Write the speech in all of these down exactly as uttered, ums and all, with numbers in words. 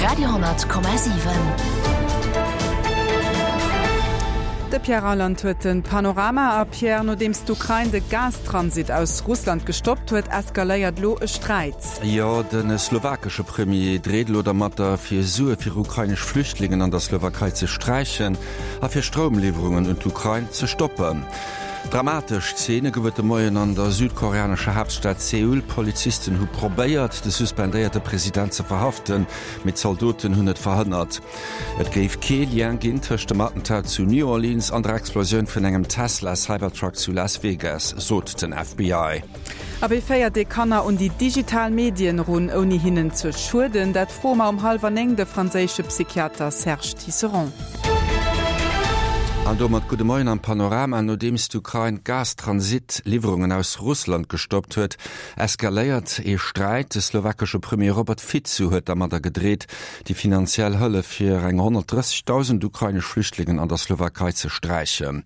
Radio honnert Komma siwen. De Pierre Reyland huet den Panorama a Pierre, nodeems d'Ukrain de Gastransit aus Russland gestoppt huet, eskaléiert lo e Sträit. Jo, de slowakesche Premier dreet lo dermatter, fir Sue fir ukrainesch Flüchtlingen an der Slowakei ze sträichen a fir Stroumliwwerungen un d'Ukrain ze stoppen. Dramatesch Zeene gouf et de Moien an der südkoreanescher Haaptstad Seoul. Polizisten hu probéiert, de suspendéierte President ze verhaften, mee d'Zaldoten hunn et verhënnert. Et géif kee Lien ginn tëscht dem Attentat zu New Orleans an der Explosioun vun engem Tesla Cybertruck zu Las Vegas, sot den F B I. A wéi féiert ee Kanner un déi digital Medien erun, ouni hinnen ze schueden? Dat froe mer um hallwer néng de franséische Psychiater Serge Tisseron. An domat gudde Moien am Panorama. Nodeems d'Ukrain d'Gastransit-Liwwerungen aus Russland gestoppt huet, eskaléiert ee Sträit. De slowakesche Premier Robert Fico huet dermadder gedreet, déi finanziell Hëllef fir eng honnertdrëssegdausend ukrainesch Flüchtlingen an der Slowakei ze sträichen.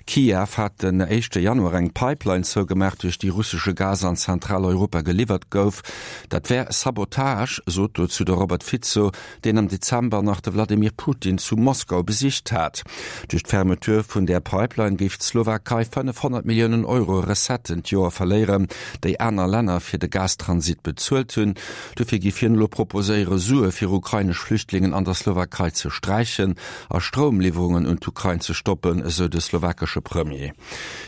Kiew hat den éischte Januar eng Pipeline zougemaach, duerch déi russesche Gas an Zentraleuropa geliwwert gouf. Dat wär Sabotage, sot dozou de Robert Fico, deen am Dezember nach de Wladimir Putin zu Moskau besicht hat. Duerch d'Fermeture vun där Pipeline géif d'Slowakei fënnefhonnert Milliounen Euro Recetten d'Joer verléieren, déi aner Länner fir de Gastransit bezuelt hunn. Dofir géif hien elo proposéiere, Sue fir ukrainesch Flüchtlingen an der Slowakei ze sträichen a Stroumliwwerungen un d'Ukrain ze stoppen, esou de slowakesche Premier.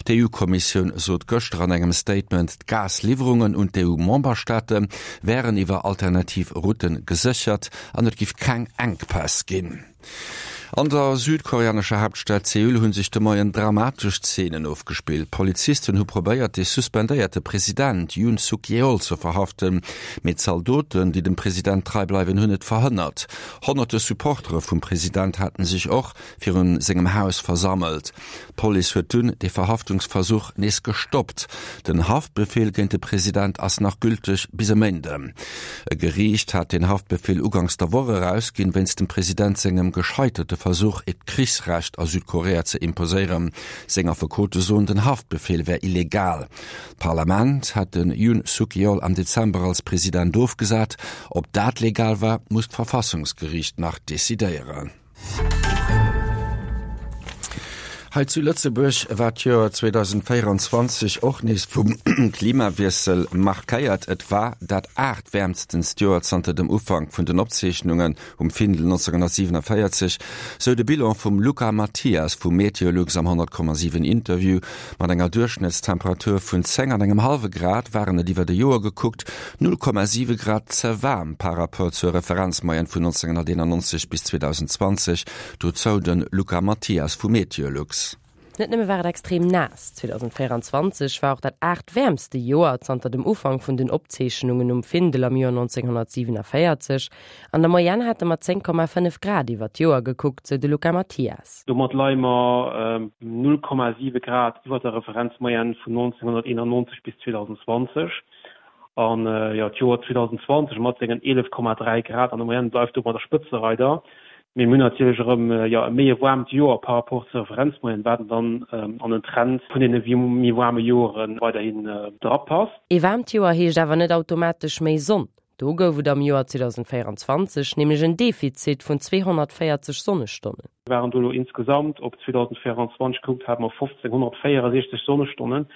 D'E U-Kommissioun sot gëschter an engem Statement, d'Gasliwwerungen un d'E U-Memberstaate wären iwwer alternativ Routen geséchert an et géif keng Enkpäss ginn. An der südkoreanescher Haaptstad Seoul hunn sech de Moien dramatesch Zeenen ofgespillt. Polizisten hu probéiert, de suspendéierte President Yoon Suk-yeol ze verhaften, mee d'Zaldoten, déi dem President trei bleiwen, hunn et verhënnert. Honnerte Supportere vum President haten sech och virun sengem Haus versammelt. D'Police huet dunn de Verhaftungsversuch nees gestoppt. Den Haftbefehl géint de President ass nach gülteg bis e Méinden. E Geriicht hat den Haftbefehl ugangs der Woch erausginn, wéinst dem President sengem gescheiterte Versuch, et Krichsrecht a Südkorea ze imposéieren. Seng Affekote soen, den Haftbefehl wär illegal. D'Parlament hat den Yoon Suk-yeol am Dezember als President ofgesat. Ob dat legal war, muss d'Verfassungsgeriicht nach decidéieren. Hei zu Lëtzebuerg war d'Joer zweedausendvéieranzwanzeg och nees vum Klimawiessel markéiert. Et war dat aachtwäermstenst Joer zanter dem Ufank vun den Opzeechnungen um Findel neunzehnhundertsiebenundvierzig, sou de Bilan vum Luca Mathias vum Meteolux am honnert Komma siwen Interview. Mat enger Duerchschnëttstemperatur vun zéng an engem hallwe Grad waren et iwwer de Joer gekuckt null Komma siwe Grad ze waarm par rapport zur Referenzmoyenne vun neunzehnhunderteinundneunzig bis zweitausendzwanzig. Dozou den Luca Mathias vum Meteolux. Net nëmme war et extrem naass. zweitausendvierundzwanzig war och dat aachtwäermste Joer zanter dem Ufank vun den Opzeechnungen um Findel am Joer neunzehnhundertsiebenundvierzig. An der Moyenne hate mer zéng Komma fënnef Grad iwwer d'Joer gekuckt, sou de Luca Mathias. Domat leie mer, ähm, null Komma siwe Grad iwwer der Referenzmoyenne vun neunzehnhunderteinundneunzig bis zweitausendzwanzig. An, äh, ja, d'Joer zweitausendzwanzig mat sengen eelef Komma dräi Grad an der Moyenne bleift domat der Spëtzereider. Mir hunn natierlech erëm, äh, ja, e méi waarmt Joer par rapport zur Referenzmoyenne, wat dann, ähm, an den Trend vun den méi waarme Joren weiderhin, äh, drapasst. E waarmt Joer heescht awer net automatesch méi Sonn. Do gouf et am Joer zweitausendvierundzwanzig nämlech en Defizit vun zweehonnertvéierzeg Sonnestonnen. Wir waren do insgesamt op zweitausendvierundzwanzig gekuckt, haben wir fünfzehnhundertvierundsechzig Sonnestonnen.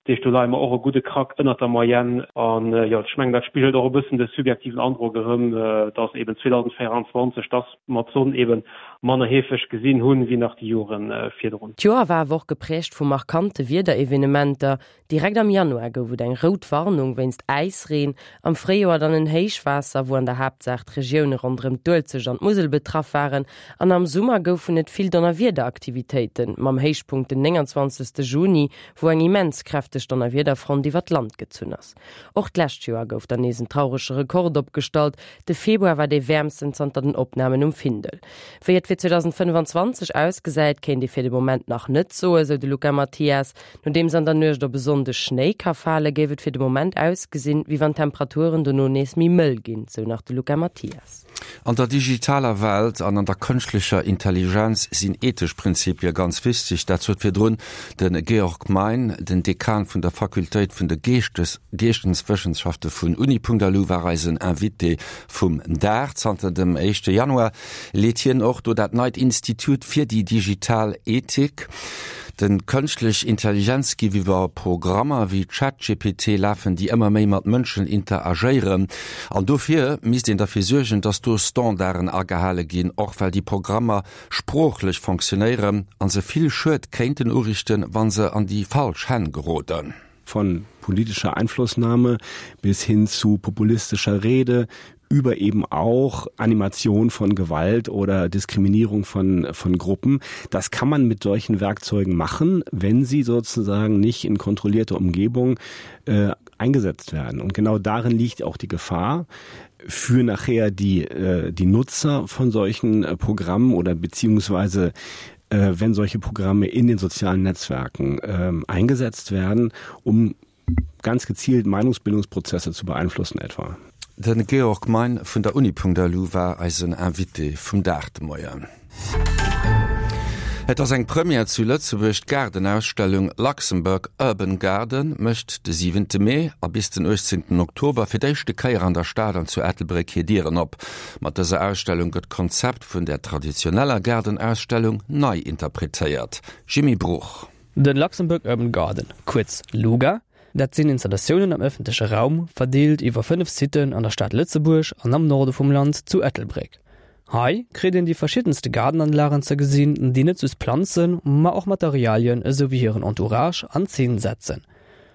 Déi do leie mer och e gudde Krack ënner der Moyenne. An, äh, ja, ich mein, dat spiegelt och e bëssen de subjektiven Androck erëm, äh, dass eben zweitausendvierundzwanzig das mat Sonn eben manner heefeg gesinn hunn wéi nach déi Joren, äh, virdrun. D'Joer war awer och geprägt vu markante Wiederevenementer. Direkt am Januar gouf et eng rout Warnung wéinst Äisreen, am Fréijoer dann en Héichwaasser, wou an der Haaptsaach d'Regioune ronderëm d'Uelzecht an d'Musel betraff waren, an am Summer goufen et vill Donnerwiederaktivitéiten, mam Héichpunkt den neunundzwanzigsten Juni, wou eng immens kräfteg Donnerwiederfront iwwer d'Land gezunn ass. Och d'lescht Joer gouf dann nees en traurege Rekord opgestallt. De Februar war dee wäermsten zanter den Opnamen um Findel. Wéi et fir zweitausendfünfundzwanzig ausgesäit, kéint ee fir de Moment nach net soen, sou de Luca Mathias. Nodeems an der Nuecht op e Sonndeg Schnéi ka fale, géif et fir de Moment ausgesinn, wéi wann d'Temperaturen dono nees méi mëll ginn, sou nach de Luca Mathias. An der digitaler Welt an an der kënschtlecher Intelligenz sinn ethesch Prinzipie ganz wichteg. Dat sot virdrun de Georg Mein, den Dekan vun der Fakultéit vun de Geeschtes Geeschteswëssenschafte vun Uni.lu war eisen Invité vum Dag. Zanter dem éischte Januar leet hien och do dat neit Institut fir déi digital Ethik. Den Kënschtlech Intelligenz géif iwwer Programmer wéi ChatGPT lafen, déi ëmmer méi mat Mënschen interagéieren. An dofir misst een derfir suergen, datt do Standarden agehale ginn, och well déi Programmer sproochlech fonctionéieren an se vill Schued kéinten uriichten, wann se an déi falsch Hänn geroden. Von politischer Einflussnahme bis hin zu populistischer Rede, über eben auch Animation von Gewalt oder Diskriminierung von, von Gruppen. Das kann man mit solchen Werkzeugen machen, wenn sie sozusagen nicht in kontrollierter Umgebung äh, eingesetzt werden. Und genau darin liegt auch die Gefahr für nachher die, äh, die Nutzer von solchen äh, Programmen oder beziehungsweise äh, wenn solche Programme in den sozialen Netzwerken äh, eingesetzt werden, um ganz gezielt Meinungsbildungsprozesse zu beeinflussen etwa. Den Georg Mein vun der Uni.lu war eisen Invité vum Dag de Moien. Et ass eng Première zu Lëtzebuerg, D'Gaardenausstellung Luxembourg Urban Garden mécht de siwente Mee a bis den uechtzéngten Oktober fir d'éischte Kéier an der Stad an zu Ettelbréck hir Dieren op. Mat dëser Ausstellung gëtt d'Konzept vun der traditioneller Gaardenausstellung nei interpretéiert. Jimmy Bruch. Den Luxembourg Urban Garden, kuerz LUGA, Dat sinn Installatiounen am ëffentleche Raum, verdeelt iwwer fënnef Siten an der Stad Lëtzebuerg an am Norde vum Land zu Ettelbréck. Hei kritt een déi verschiddenste Gaardenanlagen ze gesinn, déi net just Planzen, ma och Materialien esou wéi hiren Entourage an Zeen setzen.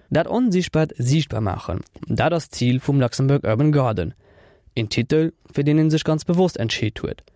Dat Onsiichtbaart siichtbar maachen, dat ass d'Zil vum Luxembourg Urban Garden. Een Titel, fir deen ee sech ganz bewosst entscheet huet.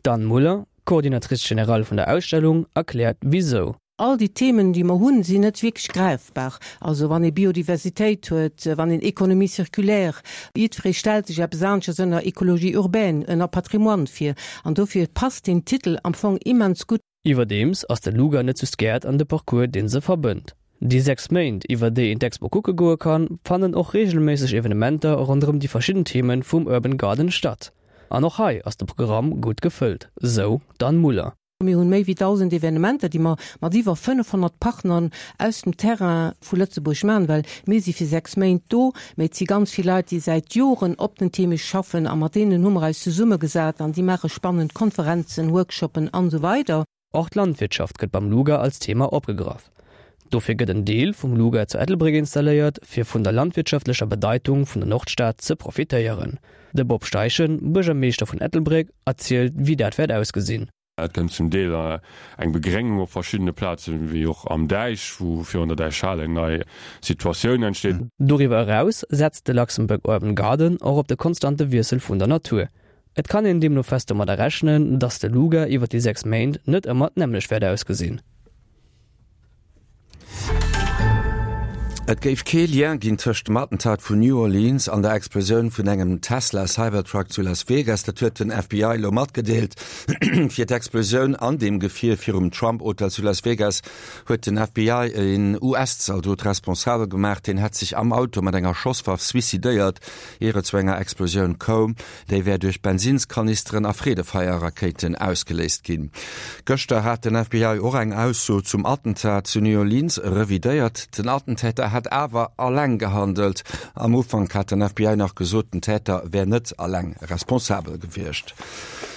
D'Anne Muller, Coordinatrice générale vun der Ausstellung, erkläert wisou. All déi Themen, déi mer hunn, sinn net wierklech gräifbar. Also wann ee Biodiversitéit huet, wann een Économie circulaire, jiddweree stellt sech eppes aneschters ënner Écologie urbaine, ënner Patrimoine vir. An dofir passt deen Titel am Fong immens gutt. Iwwerdeems ass de Luga net just Gäert an de Parcours, dee se verbënnt. Déi sechs Méint, iwwer déi een d'Expo kucke goe kann, fannen och reegelméisseg Evenementer ronderëm déi verschidden Themen vum Urban Garden statt. An och hei ass de Programm gutt gefëllt, sou d'Anne Muller. Mir hunn méi wéi dausend Evenementer, déi mer mat iwwer fënnefhonnert Partnern aus dem Terrain vu Lëtzebuerg maachen, well mir si fir sechs Méint do, mä et si ganz vill Leit, déi säit Joren op den Theme schaffen a mat deenen hu mer eis zesummegesat an déi maache spannend Konferenzen, Workshoppen an esou weider. Och d'Landwirtschaft gëtt beim Luga als Thema opgegraff. Dofir gëtt en Deel vum Luga zu Ettelbréck installéiert, fir vun der landwirtschaftlecher Bedeitung vun der Nordstad ze profitéieren. De Bob Steichen, Buergermeeschter vun Ettelbréck, erzielt, wéi dat wäert ausgesinn. Et kënnt zum Deel eng Begréngung op verschiddene Plazen, wéi och am Däich, wou virun der Däichhal eng nei Situatioun entsteet. Doriwwer eraus setzt de Luxembourg Urban Garden och op de konstante Wiessel vun der Natur. Et kann een deemno fest domadder rechnen, datt de Luga iwwer déi sechs Méint net ëmmer d'nämmlecht wäert ausgesinn. Et géif kee Lien ginn tëscht dem Attentat vun New Orleans an der Explosioun vun engem Tesla Cybertruck zu Las Vegas. Dat huet den F B I elo matgedeelt. Fir d'Explosioun an deem Gefier virum Trump Hotel zu Las Vegas huet den F B I een U S-Zaldot responsabel gemaach. Deen hätt sech am Auto mat enger Schosswaff suicidéiert, ier et zu enger Explosioun koum. Déi wär duerch Bensinskanisteren a Freedefeierrakéiten ausgeléist ginn. Gëschter hat den F B I och eng Ausso zum Attentat zu New Orleans revidéiert. Den Attentäter hätt awer alleng gehandelt. Am Ufank hat den F B I nach gesot, den Täter wär net alleng responsabel gewiescht.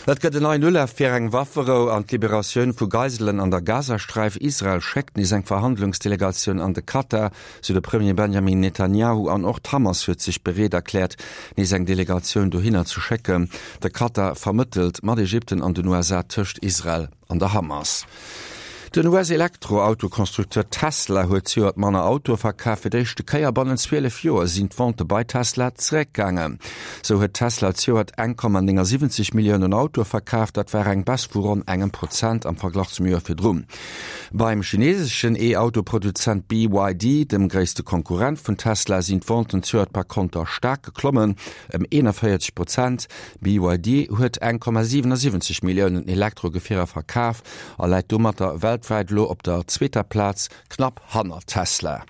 Et gëtt en neien Ulaf fir eng Wafferou an d'Liberatioun vu Geiselen an der Gazasträif. Israel schéckt nees eng Verhandlungsdelegatioun an de Katar, sou de Premier Benjamin Netanjahu, an och d'Hamas huet sech bereet erkläert, nees eng Delegatioun dohinner ze schécken. De Katar vermëttelt mat Ägypten an den U S A tëscht Israel an der Hamas. Den U S-Elektroautokonstrukteur Tesla huet zejoert manner Autoe verkaf. Fir d'éischte Kéier bannent zwielef Joer sinn d'Vente bei Tesla zeréckgaangen. Sou huet Tesla zejoert eng Komma néngasiwwenzeg Milliounen Autoe verkaf, dat war eng Baisse vu ronn engem Prozent am Verglach zum Joer virdrun. Beim chineeseschen E-Auto-Produzent B Y D, dem gréisste Konkurrent vun Tesla, sinn d'Venten zejoert par konter staark geklommen, ëm eenanvéierzeg Prozent. B Y D huet eng Komma siwenasiwwenzeg Milliounen Elektrogefierer verkaf a läit domatter weltwäit elo op der zweeter Plaz, knapp hanner Tesla.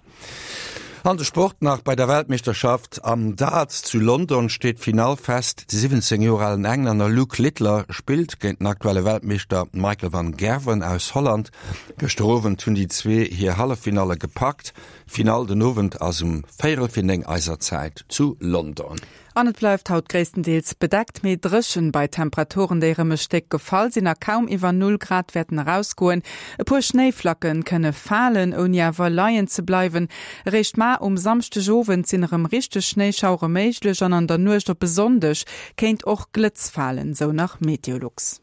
An de Sport nach, Bei der Weltmeeschterschaft am Darts zu London steet d'Finall fest. De siwwenzéng Joer alen Englänner Luke Littler spillt géint den aktuelle Weltmeeschter Michael van Gerwen aus Holland. Gëschter Owend hunn déi zwee hir Halleffinalle gepackt. D'Finall den Owend ass um véierel fir néng eiser Zäit zu London. An et bleift haut gréisstendeels bedeckt, mee dréchen, bei Temperaturen, déi erëm e Stéck gefall sinn a kaum iwwer Null Grad wäerten erausgoen. E puer Schnéiflacke kënne falen, ouni awer leien ze bleiwen. Eréischt mar um Samschdegowend sinn erëm richteg Schnéischauere méiglech an an der Nuecht op e Sonndeg kéint och Glëtz falen, sou nach Meteolux.